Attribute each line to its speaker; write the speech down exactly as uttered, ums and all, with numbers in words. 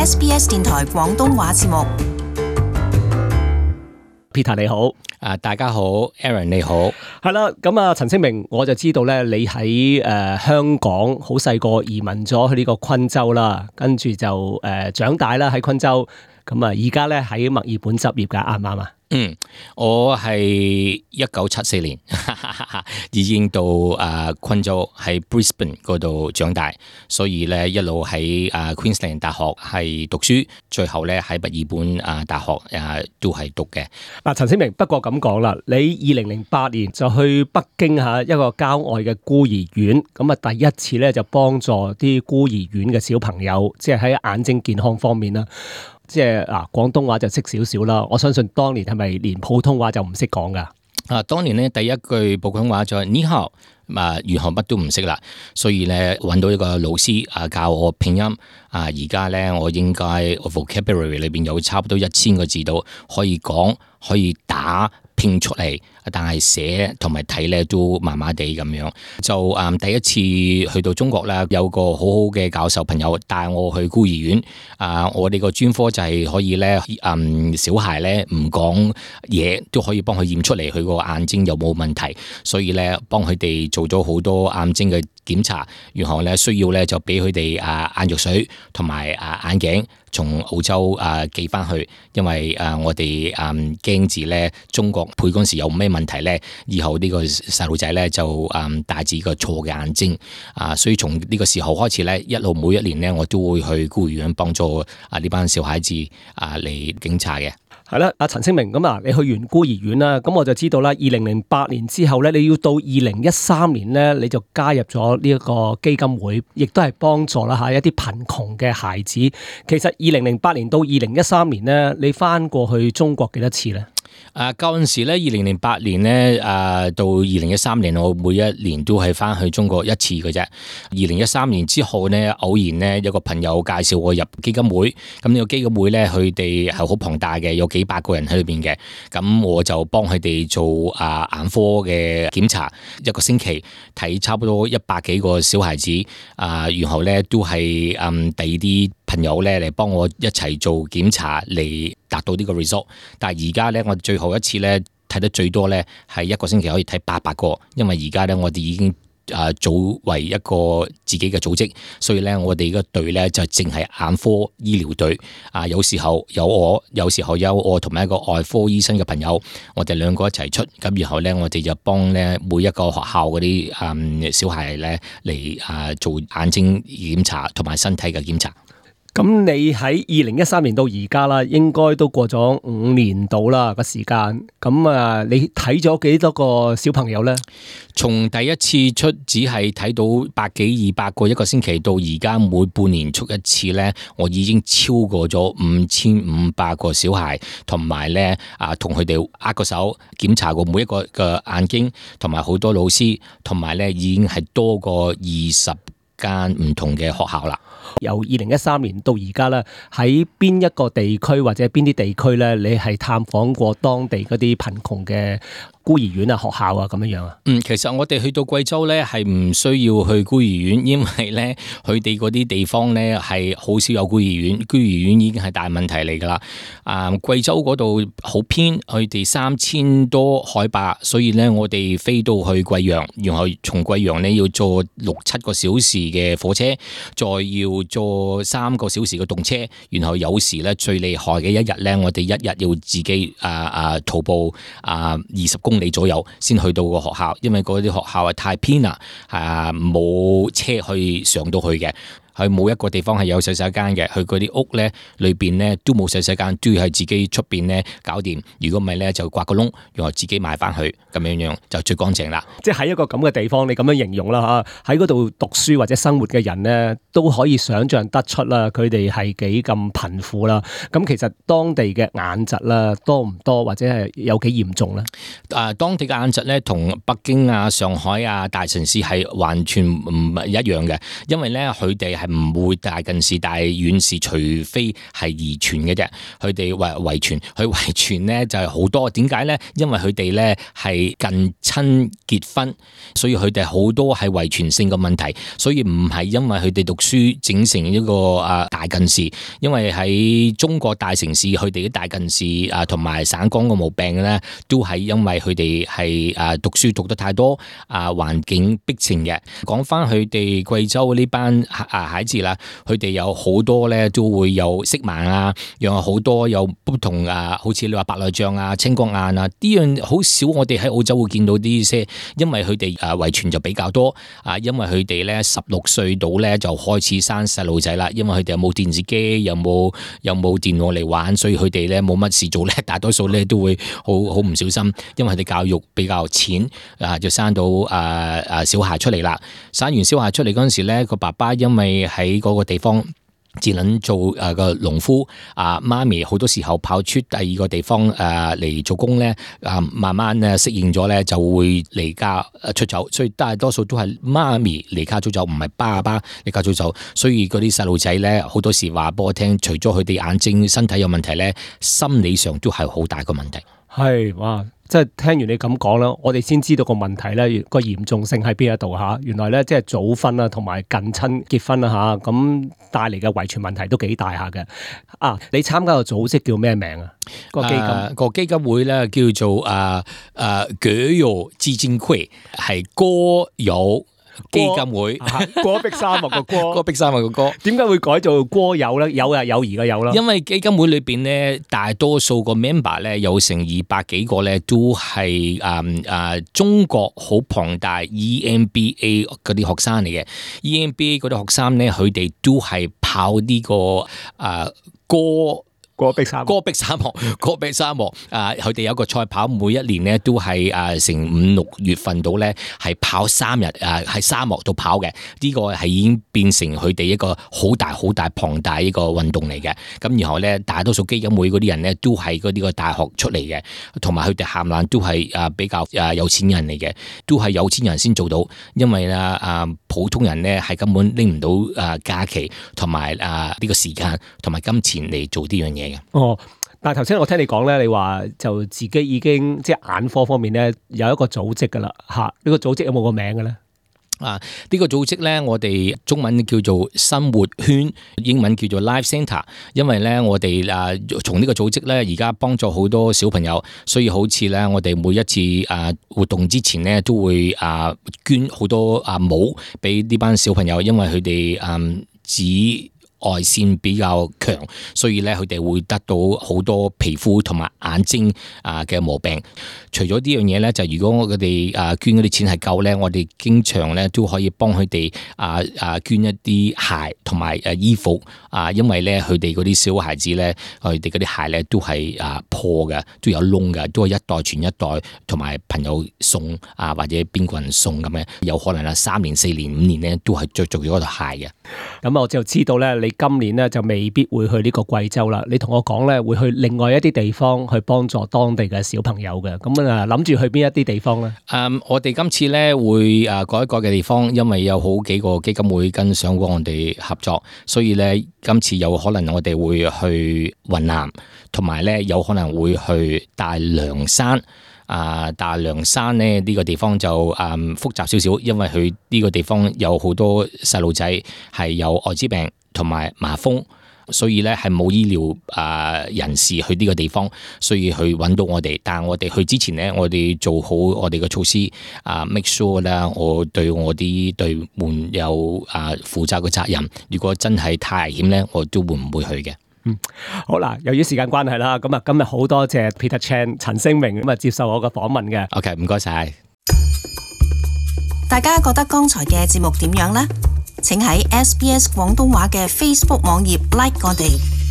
Speaker 1: S B S 電台廣東話節目。
Speaker 2: Peter 你好，
Speaker 3: 啊大家好 ，Aaron 你好，
Speaker 2: 係啦，咁啊陳清明，我就知道咧，你喺誒、呃、香港好細個移民咗去呢個昆州啦，跟住就誒、呃、長大啦喺昆州，咁啊而家咧喺墨爾本執業噶，啱唔啱啊？
Speaker 3: 嗯，我係一九七四年已經到啊昆州喺 Brisbane 嗰度長大，所以咧一路喺啊 Queensland 大學係讀書，最後咧喺墨爾本啊大學啊都係讀嘅。
Speaker 2: 嗱，陳清明，不過咁講啦，你二零零八年就去北京嚇一個郊外嘅孤兒院，咁啊第一次咧就幫助啲孤兒院嘅小朋友，即係喺眼睛健康方面啦。即係嗱，廣東話就識少少啦。我相信當年係咪連普通話就唔識講噶？
Speaker 3: 啊，當年咧第一句普通話就係你好，啊，然後乜都唔識啦。所以咧揾到一個老師啊教我拼音啊，而家咧我應該 vocabulary 裏邊有差唔多一千個字到，可以講可以打拼出嚟。但係寫同埋睇咧都麻麻地咁樣，就誒、嗯、第一次去到中國啦，有個好好嘅教授朋友帶我去孤兒院。啊，我哋個專科就係可以咧，嗯，小孩咧唔講嘢都可以幫佢驗出嚟，佢個眼睛有冇問題，所以咧幫佢哋做咗好多眼睛嘅檢查，然後咧需要咧就俾佢哋啊眼藥水同埋啊眼鏡從澳洲啊寄翻去，因為啊我哋啊驚住咧中國配嗰陣時有咩問題咧，以後呢個細路仔咧就誒帶住個錯嘅眼睛啊，所以從呢個時候開始咧，一路每一年咧我都會去孤兒院幫助啊呢班小孩子啊嚟檢查嘅。
Speaker 2: 係啦，阿陳清明，咁啊，你去完孤兒院啦，咁我就知道啦。二零零八年之後咧，你要到二零一三年咧，你就加入咗呢一個基金會，亦都係幫助啦吓一啲貧窮嘅孩子。其實二零零八年到二零一三年咧，你翻過去中國幾多次咧？
Speaker 3: 啊，嗰陣時咧，二零零八年咧，啊到二零一三年，我每一年都係翻去中國一次嘅啫。二零一三年之後咧，偶然咧有個朋友介紹我入基金會，咁呢個基金會咧，佢哋係好龐大嘅，有幾百個人喺裏邊嘅。咁我就幫佢哋做啊眼科嘅檢查，一個星期睇差不多一百幾個小孩子，啊，然後咧都係嗯第二啲朋友咧嚟幫我一齊做檢查嚟達到呢個 result。但係而家咧，我最後一次咧睇得最多咧係一個星期可以睇八百個，因為而家咧我哋已經啊組為一個自己嘅組織，所以咧我哋個隊咧就淨係眼科醫療隊啊。有時候有我，有時候有我同埋一個外科醫生嘅朋友，我哋兩個一齊出，咁然後咧我哋就幫咧每一個學校嗰啲嗯小孩咧嚟啊做眼睛檢查同埋身體嘅檢查。
Speaker 2: 咁你喺二零一三年到而家啦，應該都過咗五年到啦個時間。咁啊，你睇咗幾多個小朋友咧？
Speaker 3: 從第一次出只係睇到百幾二百個一個星期，到而家每半年出一次咧，我已經超過咗五千五百個小孩，同埋咧啊，同佢哋握個手檢查過每一個嘅眼睛，同埋好多老師，同埋咧已經係多過二十間唔同嘅學校啦。
Speaker 2: 由二零一三年到而家咧，喺邊一個地區或者邊啲地區咧，你係探訪過當地嗰啲貧窮嘅孤兒院啊、學校啊咁樣樣啊？
Speaker 3: 嗯，其實我哋去到貴州咧，係唔需要去孤兒院，因為咧佢哋嗰啲地方咧係好少有孤兒院，孤兒院已經係大問題嚟噶啦。啊，貴州嗰度好偏，佢哋三千多海拔，所以咧我哋飛到去貴陽，然後從貴陽咧要坐六七個小時嘅火車，再要坐三個小時嘅動車，然後有時咧最厲害嘅一日咧，我哋一日要自己啊啊徒步啊二十公里左右先去到個學校，因為嗰啲學校係太偏啦，啊冇車去上到去嘅。佢冇一個地方係有洗手間嘅，佢嗰啲屋咧裏邊咧都冇洗手間，都要係自己出邊咧搞掂。如果唔係咧，就刮個窿，然後自己買翻去，咁樣樣就最乾淨啦。
Speaker 2: 即係喺一個咁嘅地方，你咁樣形容啦嚇，喺嗰度讀書或者生活嘅人咧，都可以想像得出啦，佢哋係幾咁貧苦啦。咁其實當地嘅眼疾啦，多唔多或者係有幾嚴重咧？
Speaker 3: 啊，當地嘅眼疾咧，同北京啊、上海啊大城市係完全唔一樣嘅，因為咧佢哋係係唔會大近視、大遠視，除非係遺傳嘅啫。佢哋遺遺傳，佢遺傳咧就係好多。點解咧？因為佢哋咧係近親結婚，所以佢哋好多係遺傳性嘅問題，所以唔係因為佢哋讀書整成一個啊大近視。因為喺中國大城市，佢哋啲大近視啊同埋散光嘅毛病咧，都係因為佢哋係啊讀書讀得太多啊，環境逼成嘅。講翻佢哋貴州呢班啊孩子啦，佢哋有好多咧都會有色盲啊，又有好多有不同啊，好似你話白內障啊、青光眼啊，呢樣好少我哋喺澳洲會見到啲些，因為佢哋啊遺傳就比較多啊，因為佢哋咧十六歲到咧就開始生細路仔啦，因為佢哋有冇電視機，有冇有冇電腦嚟玩，所以佢哋咧冇乜事做咧，大多數咧都會好好唔小心，因為佢哋教育比較淺啊，就生到啊啊小孩出嚟啦。生完小孩出嚟嗰陣時咧，個爸爸因為喺嗰個地方只能做誒個農夫，啊媽咪好多時候跑出第二個地方誒嚟做工咧，啊慢慢咧適應咗咧就會離家出走，所以大多數都係媽咪離家出走，唔係爸爸離家出走。所以嗰啲細路仔咧好多時話俾我聽，除咗佢哋眼睛身體有問題咧，心理上都係好大個問題。
Speaker 2: 係哇！即係聽完你咁講啦，我哋先知道個問題咧個嚴重性喺邊一度嚇。原來咧即係早婚啊，同埋近親結婚啊嚇，咁帶嚟嘅遺傳問題都幾大下嘅。啊，你參加個組織叫咩名啊？個基金、啊那個基金會咧叫做啊啊葛友基金會，係歌友基金會，戈壁沙漠個戈，戈壁沙漠個戈，點解會改做歌友咧？有啊，友誼嘅友啦。因為基金會裏邊咧，大多數個 member 咧有成二百幾個咧，都係誒誒中國好龐大 E M B A 嗰啲學生嚟嘅。E M B A 嗰啲學生咧，佢哋都係跑呢、這個誒、呃、歌。戈壁沙漠，戈壁沙漠，戈壁沙漠啊！佢哋有個賽跑，每一年咧都係啊成五六月份到咧，係跑三日啊，喺沙漠度跑嘅。呢、這個係已經變成佢哋一個好大好大龐大一個運動嚟嘅。咁然後咧，大多數基金會嗰啲人咧都係嗰啲個大學出嚟嘅，同埋佢哋冚唪唥都係啊比較啊有錢人嚟嘅，都係有錢人先做到。因為啊啊普通人咧係根本拎唔到啊假期同埋啊呢個時間同埋金錢嚟做呢樣嘢。哦，但係頭先我聽你講咧，你話就自己已經即係眼科方面咧有一個組織噶啦吓，呢、這個組織有冇個名嘅咧？啊，呢、這個組織咧，我哋中文叫做生活圈，英文叫做 Life Centre。因為咧，我哋啊從呢個組織咧，而家幫助好多小朋友，所以好似咧，我哋每一次啊活動之前咧，都會啊捐好多啊帽俾呢班小朋友，因為佢哋嗯只。外線比較強，所以咧佢哋會得到好多皮膚同埋眼睛啊嘅毛病。除咗呢樣嘢咧，就如果我哋啊捐嗰啲錢係夠咧，我哋經常咧都可以幫佢哋啊啊捐一啲鞋同埋誒衣服啊，因為咧佢哋嗰啲小孩子咧，佢哋嗰啲鞋咧都係啊破嘅，都有窿嘅，都係一代傳一代，同埋朋友送啊或者邊個人送咁樣，有可能啊三年、四年、五年咧都係着住嗰對鞋嘅。咁我就知道咧，你今年咧就未必會去呢個貴州啦。你同我講咧，會去另外一啲地方去幫助當地嘅小朋友嘅。咁啊，諗住去邊一啲地方咧？誒、um, 我哋今次咧會誒改一改嘅地方，因為有好幾個基金會跟上過我哋合作，所以咧今次有可能我哋會去雲南，同埋咧有可能會去大涼山。啊！大涼山咧呢、這個地方就誒、嗯、複雜少少，因為佢呢個地方有好多細路仔係有艾滋病同埋麻風，所以咧係冇醫療啊人士去呢個地方，所以去揾到我哋。但係我哋去之前咧，我哋做好我哋嘅措施啊 ，make sure 啦，我對我啲隊員有啊負責嘅責任。如果真係太危險咧，我都會唔會去嘅。嗯，好啦，由於時間關係啦，咁啊今日好多謝 Peter Chan 陳星明咁啊接受我嘅訪問嘅。OK， 唔該晒。
Speaker 1: 大家覺得剛才嘅節目點樣呢？請喺 S B S 廣東話嘅 Facebook 網頁 like 我哋。